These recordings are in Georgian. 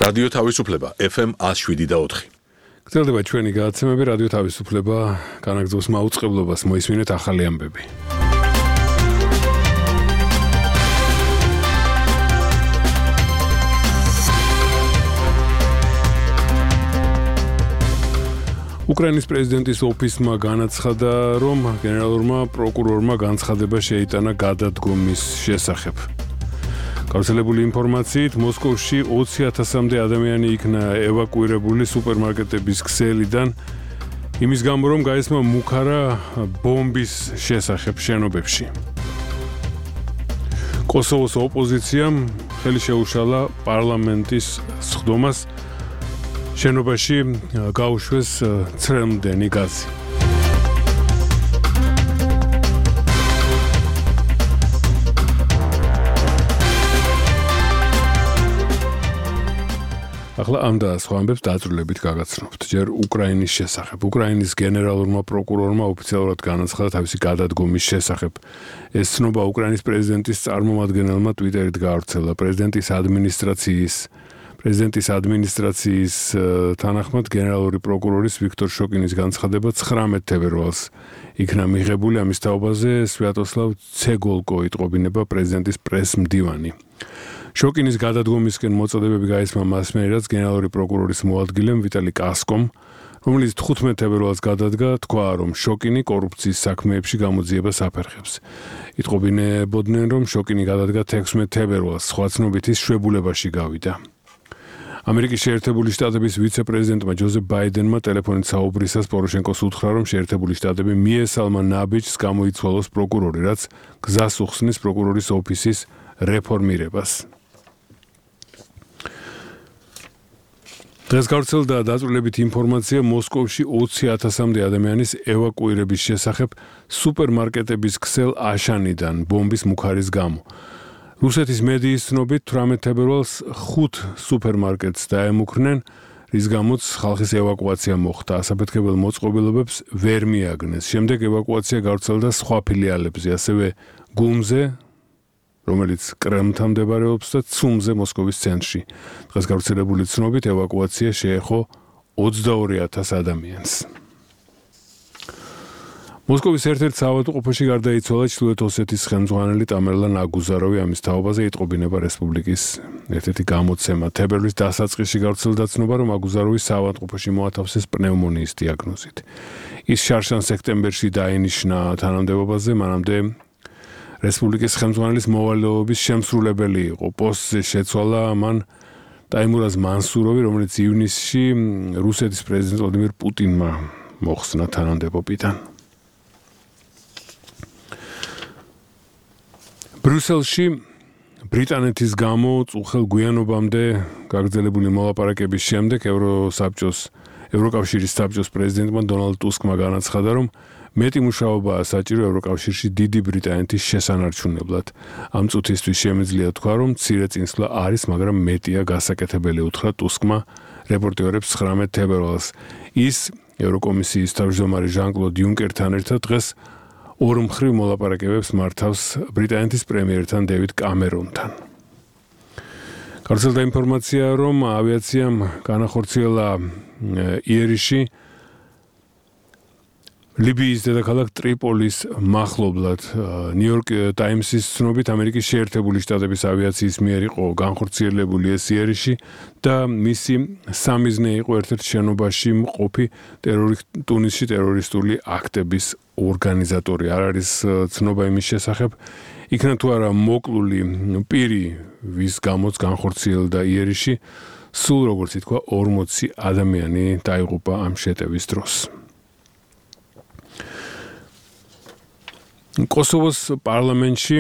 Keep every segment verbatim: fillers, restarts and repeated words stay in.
რადიო თავისუფლება ეფ ემ ათს შვიდი და ოთხი. გრძელდება ჩვენი გადაცემები რადიო თავისუფლება განაგრძობს მაუწყებლობას მოისმინეთ ახალი ამბები. უკრაინის პრეზიდენტის ოფისმა განაცხადა, რომ გენერალურმა პროკურორმა განცხადება შეიტანა გადადგომის შესახებ. გავრცელებული ინფორმაციით, მოსკოვში ოცი ათასამდე ადამიანი იქნა ევაკუირებული სუპერმარკეტების ქსელიდან, იმის გამო, რომ გაისმა მუქარა ბომბის შესახებ შენობებში. კოსოვოს ოპოზიციამ ხელი შეუშალა პარლამენტის სხდომას შენობაში გაუშვეს ცრემლდენი გაზი. ახლა ამ და სხვა ამბებს დაწვრილებით გაგაცნობთ. ჯერ უკრაინის შესახებ. უკრაინის გენერალურმა პროკურორმა ოფიციალურად განაცხადა თავისი გადადგომის შესახებ. ეს ცნობა უკრაინის პრეზიდენტის წარმომადგენელმა ტვიტერით გაავრცელა. პრეზიდენტის ადმინისტრაციის პრეზიდენტის ადმინისტრაციის თანახმად გენერალური პროკურორის ვიქტორ შოკინის განცხადება ცხრამეტ თებერვალს იქნა მიღებული. ამის თაობაზე სვიატოსლავ ცეგოლკო იტყობინება პრეზიდენტის პრეს-მდივანი. შოკინის გადადგომისკენ მოწოდებები გაისმა მასმედიას გენერალური პროკურორის მოადგილემ ვიტალი კასკომ, რომელიც თხუთმეტ თებერვალს გადადგა, თქვა, რომ შოკინი კორუფციის საქმეებში გამოძიებას აფერხებს. იტყობინებოდნენ, რომ შოკინი გადადგა თექვსმეტ თებერვალს, სხვა ცნობით ის შვებულებაში გავიდა. ამერიკის შეერთებული შტატების ვიცე-პრეზიდენტმა ჯოზეფ ბაიდენმა ტელეფონით საუბრისას პოროშენკოს უთხრა, რომ შეერთებული შტატები მიესალმა ნაბიჯს გამოიცვალოს პროკურორი, რაც გზას უხსნის პროკურორის ოფისის რეფორმირებას. დღეს გავრცელდა დაწვრილებით ინფორმაცია მოსკოვში ოცი ათასამდე ადამიანის ევაკუირების შესახებ სუპერმარკეტების ქსელ აშანიდან ბომბის მუქარის გამო. რუსეთის მედიის ცნობით თვრამეტ თებერვალს ხუთ სუპერმარკეტს დაემუქრნენ, რის გამოც ხალხის ევაკუაცია მოხდა. ასაფეთქებელ მოწყობილობებს ვერ მიაგნეს. შემდეგ ევაკუაცია გავრცელდა სხვა ფილიალებზე, ასევე გუმზე, რომელიც კრემლთან მდებარეობს და ცუმზე მოსკოვის ცენტრში. დღეს გავრცელებული ცნობით ევაკუაცია შეეხო ოცდაორი ათას ადამიანს. მოსკოვის ერთ-ერთ საავადმყოფოში გარდაიცვალა ჩრდილოეთ ოსეთის ხელმძღვანელი ტამერლან აგუზაროვი. ამის თაობაზე იტყობინება რესპუბლიკის ერთ-ერთი გამოცემა. თებერვლის დასაწყისში გავრცელდა ცნობა, რომ აგუზაროვის საავადმყოფოში მოათავსეს პნევმონიის დიაგნოზით. ის შარშან სექტემბერში დაინიშნა თანამდებობაზე, მანამდე რესპუბლიკის ხელმძღვანელის მოვალეობის შემსრულებელი იყო. პოსტზე შეცვალა მან ტაიმურაზ მანსუროვი, რომელიც ივნისში რუსეთის პრეზიდენტ ვლადიმირ პუტინმა მოხსნა თანამდებობიდან. ბრიუსელში ბრიტანეთის გამო წუხელ გვიანობამდე გაგრძელებული მოლაპარაკების შემდეგ ევროსაბჭოს ევროკავშირის საბჭოს პრეზიდენტმა დონალდ ტუსკმა განაცხადა, რომ მეტი მუშაობაა საჭირო ევროკავშირში დიდი ბრიტანეთის შესანარჩუნებლად. ამ წუთისთვის შემიძლია თქვა, რომ მცირე წინსვლა არის, მაგრამ მეტია გასაკეთებელი, უთხრა ტუსკმა რეპორტერებს ცხრამეტ თებერვალს. ის ევროკომისიის თავმჯდომარე ჟან-კლოდ იუნკერთან ერთად დღეს ორმხრივ მოლაპარაკებებს მართავს ბრიტანეთის პრემიერთან დევიდ კამერონთან. გავრცელდა ინფორმაცია, რომ ავიაციამ განახორციელა იერიში ლიბიის დედაქალაქ ტრიპოლის მახლობლად. ნიუ-იორკ ტაიმსის ცნობით ამერიკის შეერთებული შტატების ავიაციის მიერ იყო განხორციელებული ეს იერიში და მისი სამიზნე იყო ერთ-ერთ შენობაში მყოფი ტუნისში ტერორისტული აქტების ორგანიზატორი. არ არის ცნობა იმის შესახებ, იქნა თუ არა მოკლული პირი, ვის გამოც განხორციელდა იერიში, სულ როგორც ითქვა ორმოცი ადამიანი დაიღუპა ამ შეტევის დროს. კოსოვოს პარლამენტში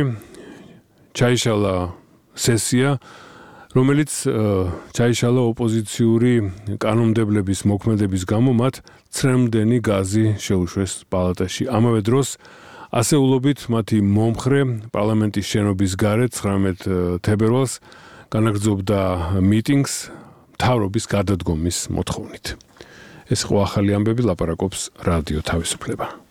ჩაიშალა სესია, რომელიც ჩაიშალა ოპოზიციური კანონმდებლების მოქმედების გამო მათ ცრემლდენი გაზი შეუშვეს პალატაში. ამავე დროს ასეულობით მათი მომხრე პარლამენტის შენობის გარეთ ცხრამეტ თებერვალს განაგრძობდა მიტინგს მთავრობის გადადგომის მოთხოვნით. ეს ხო ახალი ამბები, ლაპარაკობს რადიო თავისუფლება.